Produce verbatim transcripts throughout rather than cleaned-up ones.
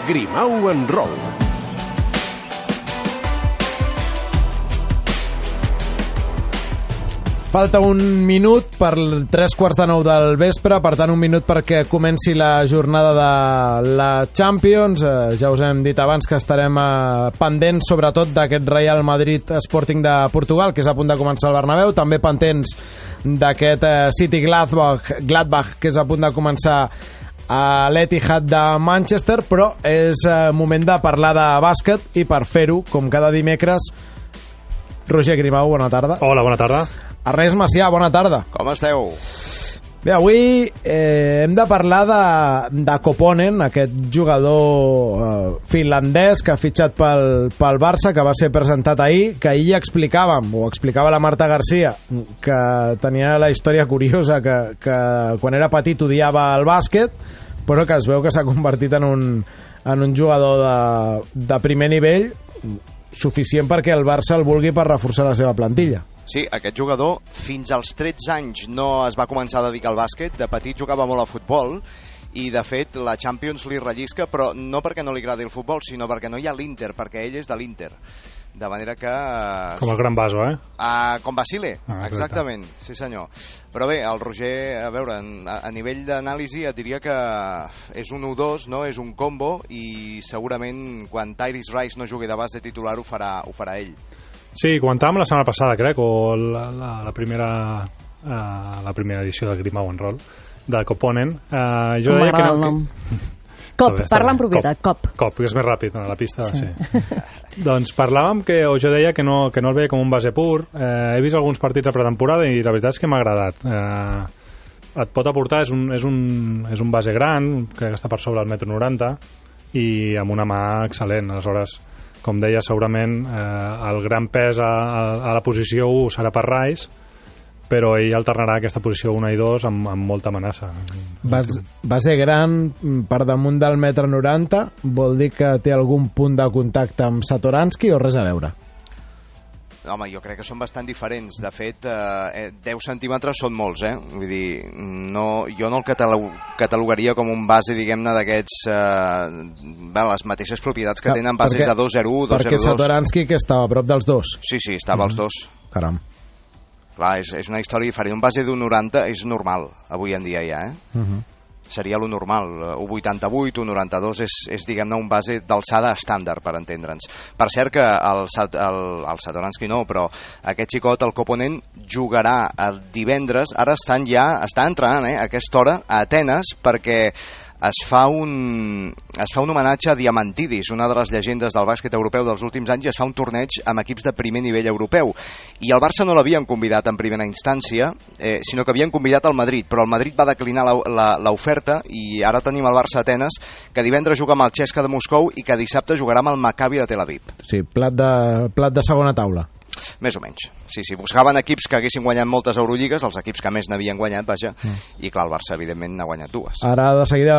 Grimau en Roll. Falta un minut per tres quarts de nou del vespre, per tant un minut perquè comenci la jornada de la Champions. Eh, ja us hem dit abans que estarem eh, pendents sobretot d'aquest Real Madrid Sporting de Portugal, que és a punt de començar al Bernabéu, també pendents d'aquest eh, City Gladbach, Gladbach, que és a punt de començar a l'Etihad de Manchester, però és eh, moment de parlar de bàsquet i per fer-ho, com cada dimecres, Roger Grimau, bona tarda. Hola, bona tarda. Ernest Macià, bona tarda. Com esteu? Bé, avui eh, hem de parlar de, de Koponen, aquest jugador eh, finlandès que ha fitxat pel, pel Barça, que va ser presentat ahir, que ahir ja explicàvem, o explicava la Marta Garcia, que tenia la història curiosa, que, que quan era petit odiava el bàsquet, però que es veu que s'ha convertit en un, en un jugador de, de primer nivell, suficient perquè el Barça el vulgui per reforçar la seva plantilla. Sí, aquest jugador fins als tretze anys no es va començar a dedicar al bàsquet, de petit jugava molt a futbol i de fet la Champions li rellisca, però no perquè no li agradi el futbol, sinó perquè no hi ha l'Inter, perquè ell és de l'Inter. De manera que... Com el Gran Baso, eh? Uh, com Basile, ah, exactament, sí senyor. Però bé, el Roger, a veure, a, a nivell d'anàlisi et diria que és un u dos, no? És un combo i segurament quan Tyrese Rice no jugui de base titular ho farà, ho farà ell. Sí, comentàvem la setmana passada, crec, o la, la, la, primera, uh, la primera edició de Grimau en Roll, de Koponen. Uh, jo deia que no... Que... Cop, parla en propietat, cop. Cop, cop que és més ràpid, a la pista, sí. sí. Doncs parlàvem que, o jo deia que no, que no el veia com un base pur. Eh, he vist alguns partits a pretemporada i la veritat és que m'ha agradat. Eh, et pot aportar, és un, és, un, és un base gran, que està per sobre del metro noranta, i amb una mà excel·lent. Aleshores, com deia, segurament eh, el gran pes a, a, a la posició u serà per Rice, però ell alternarà aquesta posició un i dos amb, amb molta amenaça. Va, va ser gran per damunt del metre noranta, vol dir que té algun punt de contacte amb Satoransky o res a veure? Home, jo crec que són bastant diferents. De fet, eh, deu centímetres són molts, eh? Vull dir, no, jo no el catalog, catalogaria com un base, diguem-ne, d'aquests... Eh, bé, les mateixes propietats que tenen bases perquè, de dos zero u, dos zero dos. Perquè Satoransky, que estava a prop dels dos. Sí, sí, estava als dos. Caram. Clar, és, és una història diferent. Un base d'un noranta és normal, avui en dia ja, eh? Uh-huh. Seria lo normal. un vuitanta-vuit, un noranta-dos és, és diguem-ne, un base d'alçada estàndard, per entendre'ns. Per cert que el, el, el Satoransky no, però aquest xicot, el Koponen, jugarà el divendres, ara estan ja, està entrenant, eh, a aquesta hora, a Atenes, perquè es fa un es fa un homenatge a Diamantidis, una de les llegendes del bàsquet europeu dels últims anys, i es fa un torneig amb equips de primer nivell europeu. I el Barça no l'havien convidat en primera instància, eh, sinó que havien convidat al Madrid, però el Madrid va declinar l'oferta i ara tenim el Barça Atenes, que divendres juga amb el Chesca de Moscou i que dissabte jugarà amb el Maccabi de Tel Aviv. Sí, plat de, plat de segona taula. Més o menys. Sí, sí, buscaven equips que haguessin guanyat moltes Eurolligues, els equips que més n'havien guanyat, vaja, mm. i clar, el Barça evidentment n'ha guanyat dues. Ara de seguida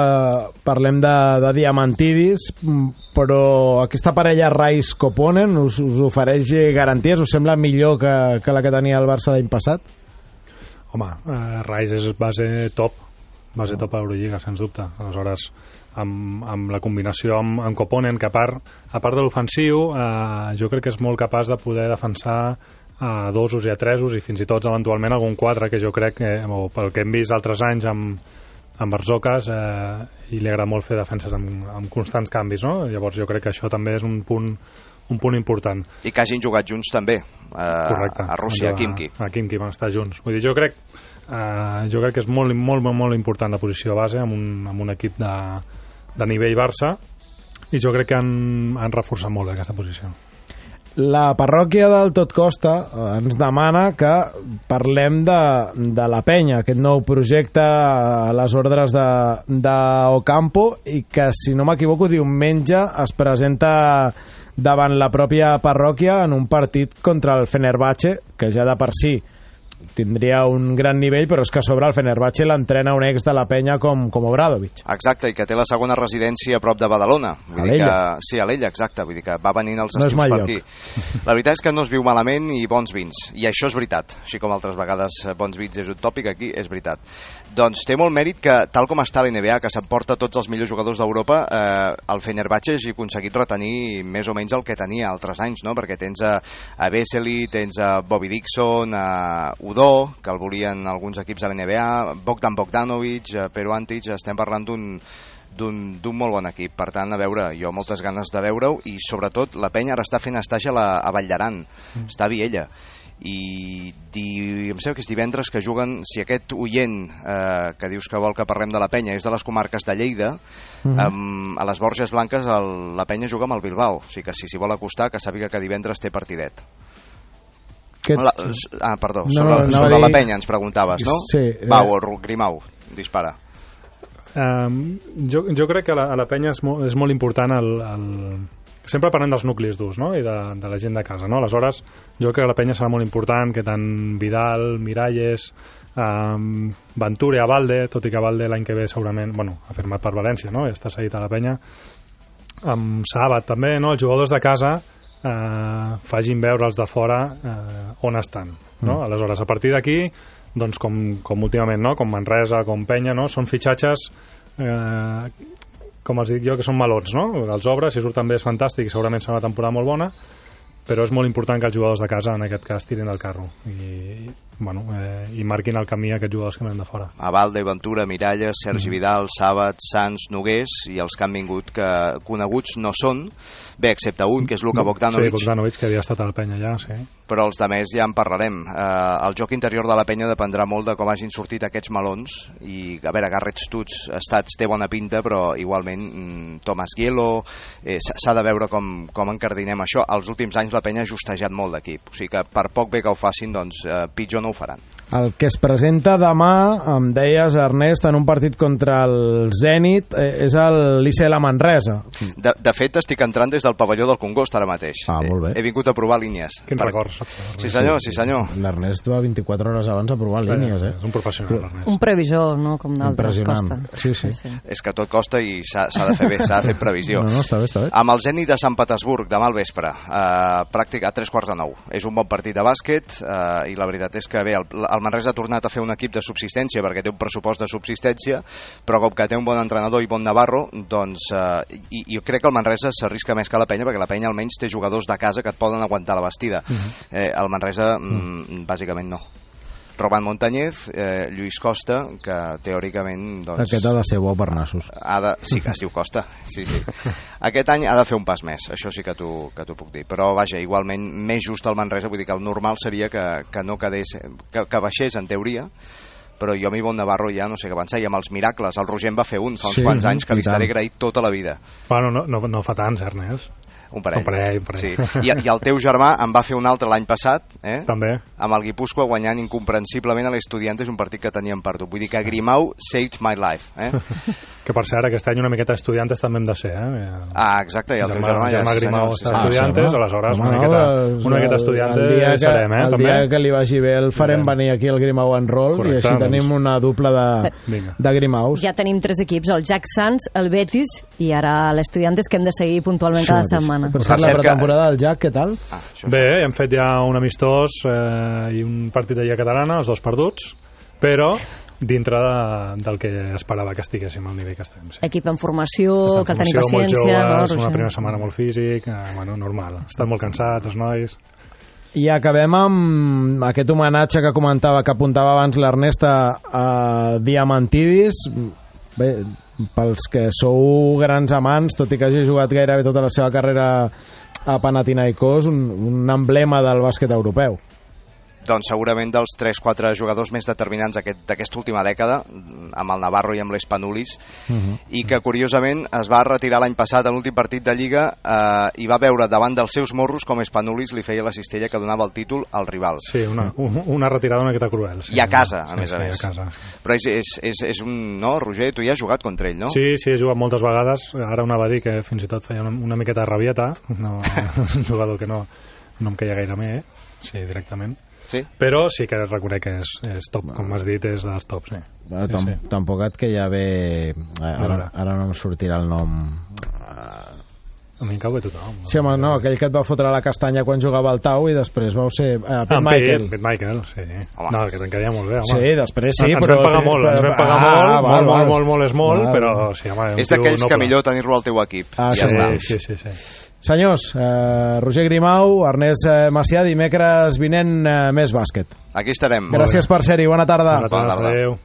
parlem de, de Diamantidis, però aquesta parella Rice-Koponen us, us ofereix garanties? Us sembla millor que, que la que tenia el Barça l'any passat? Home, eh, Rice és base top, base top a l'Eurolliga, sens dubte. Aleshores, amb, amb la combinació amb, amb Koponen, que a part, a part de l'ofensiu, eh, jo crec que és molt capaç de poder defensar a dosos i a tresos i fins i tot eventualment algun quatre, que jo crec que, o pel que hem vist altres anys amb, amb Barzocas, eh, i li agrada molt fer defenses amb, amb constants canvis, no? Llavors jo crec que això també és un punt, un punt important. I que hagin jugat junts també, eh, a Rússia, a Khimki. A, a Khimki van estar junts. Vull dir, jo crec, eh, jo crec que és molt, molt, molt important la posició base amb un, amb un equip de, de nivell Barça, i jo crec que han, han reforçat molt aquesta posició. La parròquia del Tot Costa ens demana que parlem de, de la Penya, aquest nou projecte a les ordres de, de Ocampo, i que, si no m'equivoco, diumenge es presenta davant la pròpia parròquia en un partit contra el Fenerbahçe, que ja de per si tindria un gran nivell, però és que a sobre el Fenerbahçe l'entrena un ex de la penya com, com Obradovic. Exacte, i que té la segona residència a prop de Badalona. Vull a dir l'Ella. que, sí, a l'Ella, exacte. Vull dir que va venint els no estius per lloc. aquí. La veritat és que no es viu malament i bons vins, i això és veritat. Així com altres vegades bons vins és un tòpic, aquí és veritat. Doncs té molt mèrit que, tal com està l'N B A, que s'emporta tots els millors jugadors d'Europa, eh, el Fenerbahçe hagi aconseguit retenir més o menys el que tenia altres anys, no? Perquè tens a, a Vesely, tens a Bobby Dixon, a Udó, que el volien alguns equips de l'N B A, Bogdan Bogdanovic, Pero Antic, estem parlant d'un d'un molt bon equip. Per tant, a veure, jo moltes ganes de veure-ho, i sobretot la penya ara està fent estatge a, la, a Valldaran, mm. està a Viella, i di, em sembla que és divendres que juguen, si aquest oient eh, que dius que vol que parlem de la penya és de les comarques de Lleida, mm-hmm. um, a les Borges Blanques el, la penya juga amb el Bilbao, o sigui que si s'hi vol acostar que sàpiga que divendres té partidet. Aquest... La, ah, perdó, no, sobre, no, sobre dir... la penya ens preguntaves, no? Sí. Pau o Grimau, dispara. Um, jo, jo crec que a la, a la penya és molt, és molt important el, el... sempre parlem dels nuclis durs, no? I de, de la gent de casa, no? Aleshores jo crec que la penya serà molt important, que tant Vidal, Miralles, um, Ventura, Abalde, tot i que Abalde l'any que ve segurament, bueno, ha firmat per València, no? I està seguit a la penya, amb Sabat també, no? Els jugadors de casa eh, facin veure els de fora eh, on estan, no? Mm. Aleshores, a partir d'aquí, doncs com, com últimament, no? Com Manresa, com Penya, no? Són fitxatges eh, com els dic jo, que són melons, no? Els obres, si surten bé és fantàstic i segurament serà una temporada molt bona, però és molt important que els jugadors de casa en aquest cas tirin del carro i, bueno, eh, i marquin el camí a aquests jugadors que venen de fora. Abalde, Ventura, Miralles, Sergi mm. Vidal, Sabat, Sans, Nogués i els que han vingut que coneguts no són, bé, excepte un que és Luka Bogdanovic. Sí, Bogdanovic, que havia estat a la penya ja, sí. Però els de més ja en parlarem. Eh, el joc interior de la penya dependrà molt de com hagin sortit aquests melons i, a veure, Garrett Stutz Stats té bona pinta, però igualment mm, Thomas Gielo, eh, s'ha de veure com, com encardinem això. Els últims anys la penya ha justejat molt d'equip, o sigui que per poc bé que ho facin, doncs eh, pitjor no ho faran. El que es presenta demà, em deies, Ernest, en un partit contra el Zenit, eh, és l'I C L Manresa. De, de fet, estic entrant des del pavelló del Congost ara mateix. Ah, molt bé. He, he vingut a provar línies. Quins per... records. Sí senyor, sí senyor. L'Ernest va vint-i-quatre hores abans a provar línies, eh? És un professional, l'Ernest. Un previsor, no? Com d'altres, costa. Sí, sí. sí, sí. És que tot costa i s'ha de fer bé, s'ha de fer previsió. No, no, està bé, està bé. Amb el Zenit de Sant Petersburg, demà al vespre, eh, pràctic a tres quarts de nou. És un bon partit de bàsquet eh, i la veritat és que bé, el, el Manresa ha tornat a fer un equip de subsistència perquè té un pressupost de subsistència, però com que té un bon entrenador i bon Navarro, doncs eh, i, i jo crec que el Manresa s'arrisca més que la penya perquè la penya almenys té jugadors de casa que et poden aguantar la vestida. Uh-huh. eh, el Manresa mm, bàsicament no. Roman Montañez, eh, Lluís Costa, que teòricament doncs, aquest ha de ser bo per nassos. Ha de, sí que es diu Costa, sí, sí. Aquest any ha de fer un pas més, això sí que t'ho que t'ho puc dir, però vaja, igualment més just el Manresa, vull dir que el normal seria que, que no quedés, que, que baixés en teoria, però jo amb Ivonne Navarro ja no sé què pensar, i amb els miracles, el Roger en va fer un fa uns sí, quants anys que li estaré agraït tota la vida. Bueno, no, no, no fa tants, Ernest. Un parell. Un parell, un parell. Sí. I, I el teu germà en va fer un altre l'any passat, eh? També. Amb el Guipúscoa guanyant incomprensiblement a l'Estudiantes un partit que teníem perdut. Vull dir que Grimau saved my life. Eh? Que per cert, aquest any una miqueta d'Estudiantes també hem de ser, eh? Ah, exacte, i el, el teu germà, germà ja... Grimau Sí, està a Estudiantes, aleshores una miqueta, una miqueta Estudiantes que, serem, eh? El també. dia que li vagi bé el farem sí. venir aquí el Grimau en roll. Correcte, i així doncs. Tenim una dupla de, de Grimaus. Ja tenim tres equips, el Jack Sands, el Betis i ara l'Estudiantes, que hem de seguir puntualment cada setmana. Per cert, la pretemporada del Jack, què tal? Ah, bé, hem fet ja un amistós eh, i un partit de Lliga Catalana, els dos perduts, però dintre de, del que esperava que estiguéssim al nivell que estem. Sí. Equip en formació, en cal tenir formació, paciència. Molt joves, no, una primera setmana molt físic, eh, bueno, normal. Estan molt cansats, els nois. I acabem amb aquest homenatge que comentava, que apuntava abans l'Ernest a, a Diamantidis. Bé, pels que sou grans amants, tot i que hagi jugat gairebé tota la seva carrera a Panathinaikos, un, un emblema del bàsquet europeu. Doncs segurament dels tres quatre jugadors més determinants d'aquesta aquest, última dècada, amb el Navarro i amb l'Espanulis, uh-huh. i que curiosament es va retirar l'any passat en l'últim partit de Lliga eh, i va veure davant dels seus morros com Espanulis li feia la cistella que donava el títol al rival. Sí, una, una retirada una miqueta cruel. Sí. I a casa, a sí, més a sí, més. A casa. Però és, és, és, és un... No, Roger, tu ja has jugat contra ell, no? Sí, sí, he jugat moltes vegades. Ara una va dir que fins i tot feia una, una miqueta de rabieta, no, un jugador que no... no em queia gaire bé, sí, directament. Sí? Però sí que reconec que és, és top, com has dit, és dels tops, sí. Bueno, tam sí, sí. Tampoc et queia bé... Ara, ara no em sortirà el nom... A mi em cau bé tothom. Sí, home, no, aquell que et va fotre la castanya quan jugava al Tau i després vau ser... Uh, Pete ah, Michael. Pete Michael, sí. Home. No, que te'n queia molt bé, home. Sí, després sí, ens però... Ens vam pagar molt, ens vam pagar ah, molt, val, molt, val. molt, molt, molt és molt, val. però sí, home... És d'aquells que millor tenir-lo al teu equip. Ah, ja sí, està. Sí, sí, sí. Senyors, eh, Roger Grimau, Ernest eh, Macià, dimecres vinent eh, més bàsquet. Aquí estarem. Gràcies per ser-hi, bona tarda. Bona tarda, adéu.